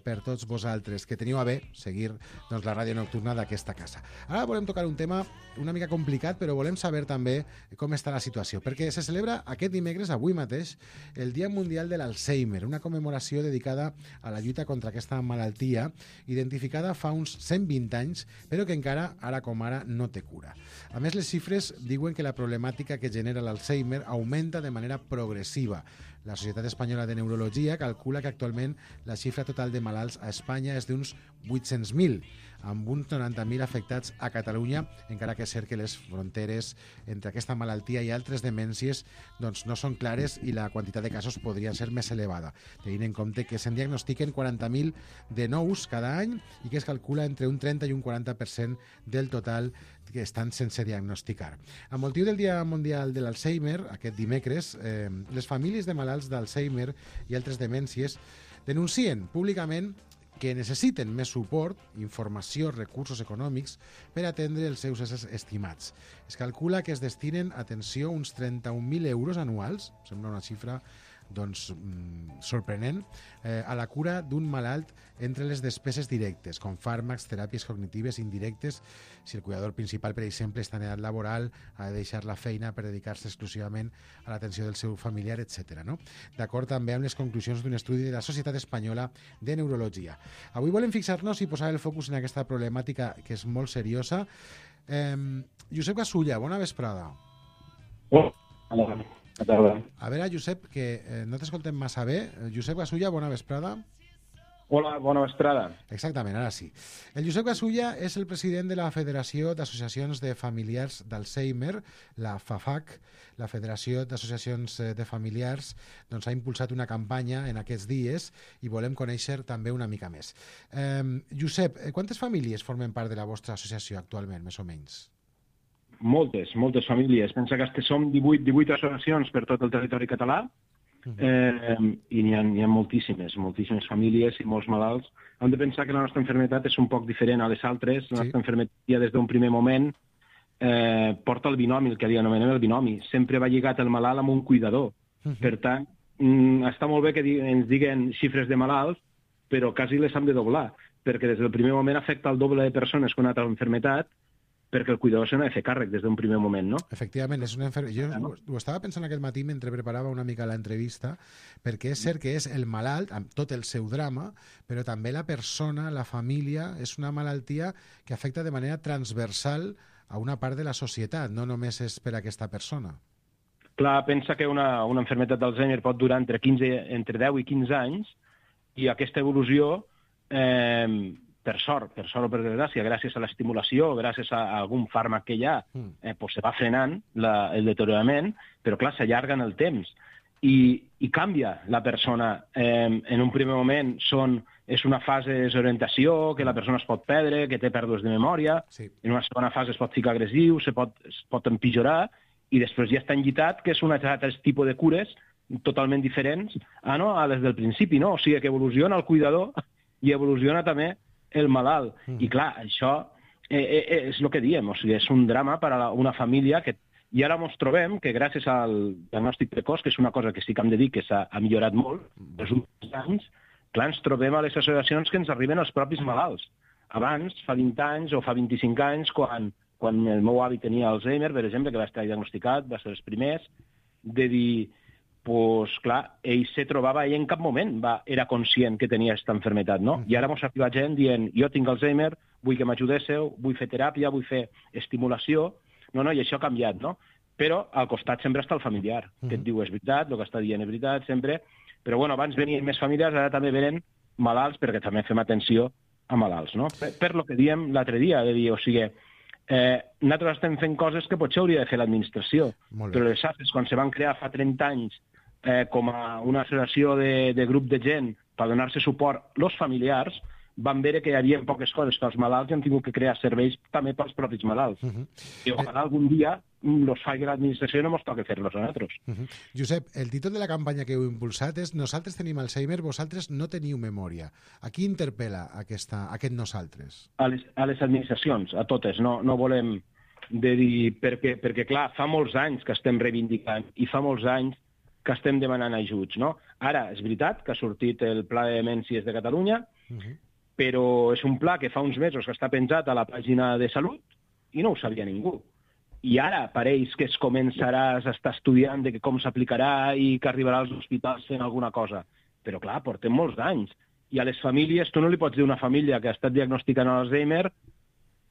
per tots vosaltres, que teniu a bé seguir la ràdio nocturna d'aquesta casa. Ara volem tocar un tema una mica complicat, però volem saber també com està la situació, perquè se celebra aquest dimecres, avui mateix, el Dia Mundial de l'Alzheimer, una commemoració dedicada a la lluita contra aquesta malaltia, identificada fa uns 120 anys, però que encara, ara com ara, no té cura. A més, les xifres diuen que la problemàtica que genera l'Alzheimer augmenta de manera progressiva. La Societat Espanyola de Neurologia calcula que actualment la xifra total de malalts a Espanya és d'uns 800.000, amb uns 90.000 afectats a Catalunya, encara que és cert que les fronteres entre aquesta malaltia i altres demències doncs, no són clares i la quantitat de casos podria ser més elevada, tenint en compte que se'n diagnostiquen 40.000 de nous cada any i que es calcula entre un 30 i un 40% del total que estan sense diagnosticar. A motiu del Dia Mundial de l'Alzheimer, aquest dimecres, les famílies de malalts d'Alzheimer i altres demències denuncien públicament que necessiten més suport, informació, recursos econòmics per atendre els seus éssers estimats. Es calcula que es destinen, atenció, uns 31.000 euros anuals, sembla una xifra doncs, sorprenent, a la cura d'un malalt entre les despeses directes, com fàrmacs, teràpies cognitives indirectes, si el cuidador principal, per exemple, està en edat laboral, ha de deixar la feina per dedicar-se exclusivament a l'atenció del seu familiar, etc. No? D'acord també amb les conclusions d'un estudi de la Societat Espanyola de Neurologia. Avui volem fixar-nos i posar el focus en aquesta problemàtica que és molt seriosa. Josep Gasulla, bona vesprada. A veure, Josep, que no t'escoltem massa bé. Josep Gasulla, bona vesprada. Hola, bona vesprada. Exactament, ara sí. El Josep Gasulla és el president de la Federació d'Associacions de Familiars d'Alzheimer, la FAFAC. La Federació d'Associacions de Familiars doncs, ha impulsat una campanya en aquests dies i volem conèixer també una mica més. Josep, quantes famílies formen part de la vostra associació actualment, més o menys? Moltes famílies. Pensa que som 18 associacions per tot el territori català i n'hi ha moltíssimes famílies i molts malalts. Hem de pensar que la nostra malaltia és un poc diferent a les altres. La nostra malaltia des d'un primer moment porta el binomi, el que anomenem el binomi. Sempre va lligat el malalt amb un cuidador. Per tant, està molt bé que ens diguen xifres de malalts, però quasi les hem de doblar, perquè des del primer moment afecta el doble de persones que una altra malaltia, perquè el cuidador se n'ha de fer càrrec des d'un primer moment, no? Efectivament, és una jo ho estava pensant aquest matí mentre preparava una mica l'entrevista, perquè és cert que és el malalt, amb tot el seu drama, però també la persona, la família, és una malaltia que afecta de manera transversal a una part de la societat, no només és per a aquesta persona. Clar, pensa que una malaltia d'Alzheimer pot durar entre 10 i 15 anys, i aquesta evolució, per sort o per desgràcia, gràcies a l'estimulació, gràcies a algun fàrmac que hi ha, se va frenant el deteriorament, però clar, s'allarga en el temps. I canvia la persona. En un primer moment és una fase de desorientació, que la persona es pot perdre, que té pèrdues de memòria, en una segona fase es pot ficar agressiu, es pot empitjorar, i després ja està enllitat, que és un altre tipus de cures totalment diferents a les del principi, no? O sigui, que evoluciona el cuidador i evoluciona també el malalt. I clar, això és el que diem, o sigui, és un drama per a una família que... I ara ens trobem que gràcies al diagnòstic precoç, que és una cosa que sí que hem de dir que s'ha millorat molt els últims anys, clar, ens trobem a les associacions que ens arriben els propis malalts. Abans, fa 20 anys o fa 25 anys, quan el meu avi tenia Alzheimer, per exemple, que va estar diagnosticat, va ser els primers, de dir, doncs clar, ell se trobava, ell en cap moment era conscient que tenia aquesta malaltia, no? I ara ens arriba gent dient, jo tinc Alzheimer, vull que m'ajudéssiu, vull fer teràpia, vull fer estimulació. No, i això ha canviat, no? Però al costat sempre està el familiar, que et diu és veritat, el que està dient és veritat, sempre. Però bueno, abans venien més famílies, ara també venen malalts, perquè també fem atenció a malalts, no? Per lo que diem l'altre dia, de dir, o sigui, nosaltres estem fent coses que potser hauria de fer l'administració, però les AFES, quan se van crear fa 30 anys com a una associació de grup de gent per donar-se suport als familiars, van veure que hi havia poques coses pels malalts i han tingut que crear serveis també pels propis malalts. I ojalà algun dia els faci l'administració i no ens toqui fer-los a nosaltres. Josep, el títol de la campanya que heu impulsat és Nosaltres tenim Alzheimer, vosaltres no teniu memòria. A qui interpel·la aquest nosaltres? A les administracions, a totes. No volem de dir... Perquè, clar, fa molts anys que estem reivindicant i fa molts anys que estem demanant ajuts, no? Ara, és veritat que ha sortit el Pla de Demències de Catalunya, però és un pla que fa uns mesos que està penjat a la pàgina de Salut i no ho sabia ningú. I ara pareix que es començarà a estar estudiant de com s'aplicarà i que arribarà als hospitals fent alguna cosa. Però clar, portem molts anys. I a les famílies, tu no li pots dir a una família que ha estat diagnosticant Alzheimer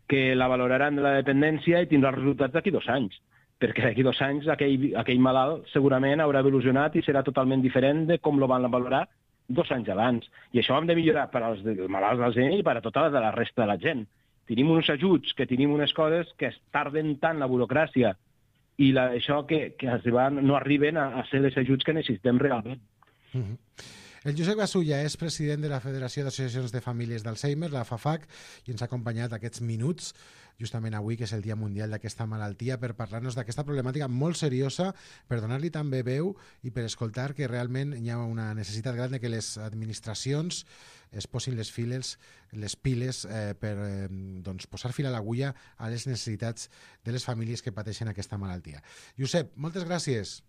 que la valoraran de la dependència i tindrà els resultats d'aquí 2 anys. Perquè d'aquí 2 anys aquell malalt segurament haurà evolucionat i serà totalment diferent de com lo van valorar 2 anys abans. I això ho hem de millorar per als malalts d'Alzheimer i per a tota la resta de la gent. Tenim uns ajuts, que tenim unes coses que es tarden tant la burocràcia i això que no arriben a ser els ajuts que necessitem realment. El Josep Gasulla és president de la Federació d'Associacions de Famílies d'Alzheimer, la FAFAC, i ens ha acompanyat aquests minuts, justament avui, que és el Dia Mundial d'aquesta malaltia, per parlar-nos d'aquesta problemàtica molt seriosa, per donar-li també veu i per escoltar que realment hi ha una necessitat gran de que les administracions es posin les piles per posar fil a l'agulla a les necessitats de les famílies que pateixen aquesta malaltia. Josep, moltes gràcies.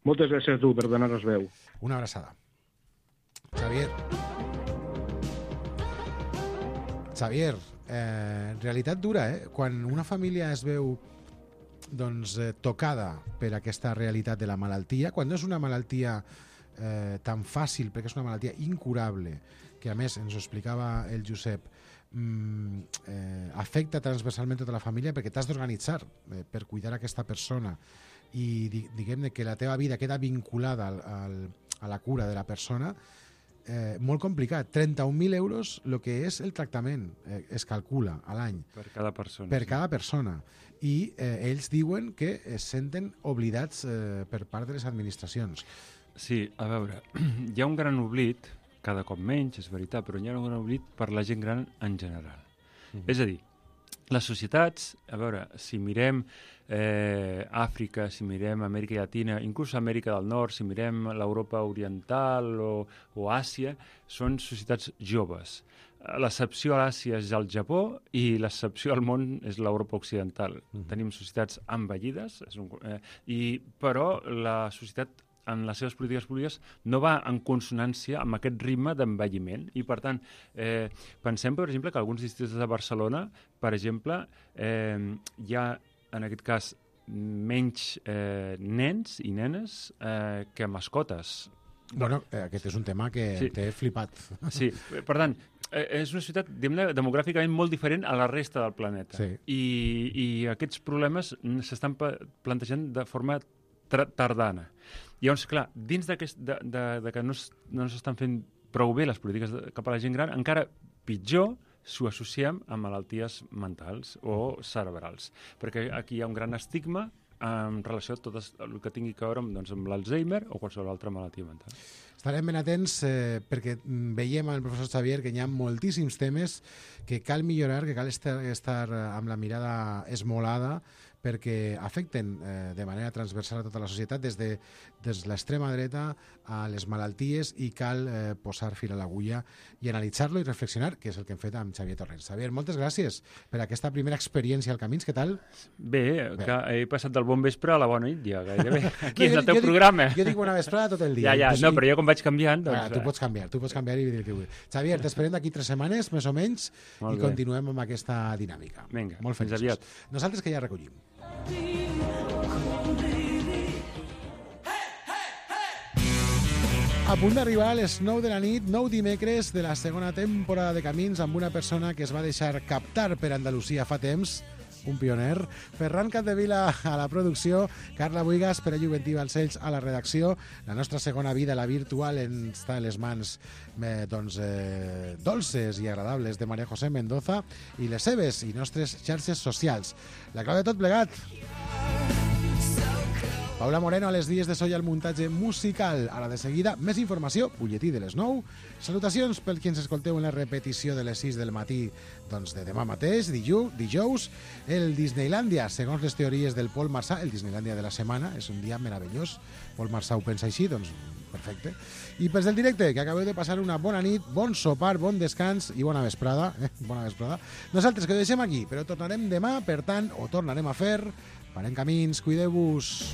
Moltes gràcies a tu per donar-nos veu. Una abraçada. Xavier, realitat dura, Quan una família es veu tocada per aquesta realitat de la malaltia, quan no és una malaltia tan fàcil, perquè és una malaltia incurable, que a més ens ho explicava el Josep, afecta transversalment tota la família perquè t'has d'organitzar per cuidar aquesta persona i diguem que la teva vida queda vinculada a la cura de la persona, molt complicat. 31.000 euros el que és el tractament es calcula a l'any per cada persona, per cada persona. I ells diuen que es senten oblidats per part de les administracions. Sí, a veure, hi ha un gran oblit, cada cop menys, és veritat, però hi ha un gran oblit per la gent gran en general. És a dir, les societats, a veure, si mirem Àfrica, si mirem Amèrica Llatina, inclús Amèrica del Nord, si mirem l'Europa Oriental o Àsia, són societats joves. L'excepció a l'Àsia és el Japó i l'excepció al món és l'Europa Occidental. Tenim societats envellides, però la societat en les seves polítiques públiques no va en consonància amb aquest ritme d'envelliment. I, per tant, pensem, per exemple, que alguns districtes de Barcelona, per exemple, hi ha, en aquest cas, menys nens i nenes que mascotes. Bueno, aquest és un tema que t'he flipat. Sí, per tant, és una societat demogràficament molt diferent a la resta del planeta. I aquests problemes s'estan plantejant de forma tardana. Llavors, clar, dins de que no s'estan fent prou bé les polítiques cap a la gent gran, encara pitjor s'ho associem amb malalties mentals o cerebrals, perquè aquí hi ha un gran estigma en relació a tot el que tingui a veure amb l'Alzheimer o qualsevol altra malaltia mental. Estarem ben atents perquè veiem amb el professor Xavier que hi ha moltíssims temes que cal millorar, que cal estar amb la mirada esmolada perquè afecten de manera transversal a tota la societat, des de l'extrema dreta a les malalties, i cal posar fil a l'agulla i analitzar-lo i reflexionar, que és el que hem fet amb Xavier Torrents. Xavier, moltes gràcies per aquesta primera experiència al Camins. Què tal? Bé, que he passat del bon vespre a la bona nit, ja gairebé. Aquí és el teu programa. Jo dic bona vesprada tot el dia. Ja, no, però jo com vaig canviant... Tu pots canviar i dir el que vull. Xavier, t'esperem d'aquí 3 setmanes, més o menys, i continuem amb aquesta dinàmica. Vinga, molt fins aviat. Nosaltres que ja recollim. A punt d'arribar a les 9 de la nit, 9 dimecres de la segona temporada de Camins, amb una persona que es va deixar captar per Andalusia fa temps, un pioner, Ferran Capdevila a la producció, Carla Buigas, Pere Juventí Balcells a la redacció. La nostra segona vida, la virtual, està en les mans dolces i agradables de María José Mendoza i les seves i nostres xarxes socials. La clau de tot plegat. Paula Moreno a les vies de so i al muntatge musical. Ara de seguida, més informació, butlletí de les 9. Salutacions pel qui ens escolteu en la repetició de les 6 del matí de demà mateix, dijous. El Disneylandia, segons les teories del Pol Marsà, el Disneylandia de la setmana, és un dia meravellós. Pol Marsà ho pensa així, doncs perfecte. I pels del directe, que acabeu de passar una bona nit, bon sopar, bon descans i bona vesprada. Bona vesprada. Nosaltres que ho deixem aquí, però tornarem demà, per tant, ho tornarem a fer. Farem Camins, cuideu-vos.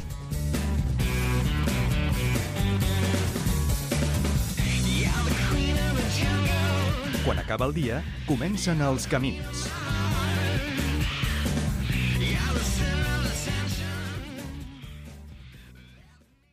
Quan acaba el dia, comencen els Camins.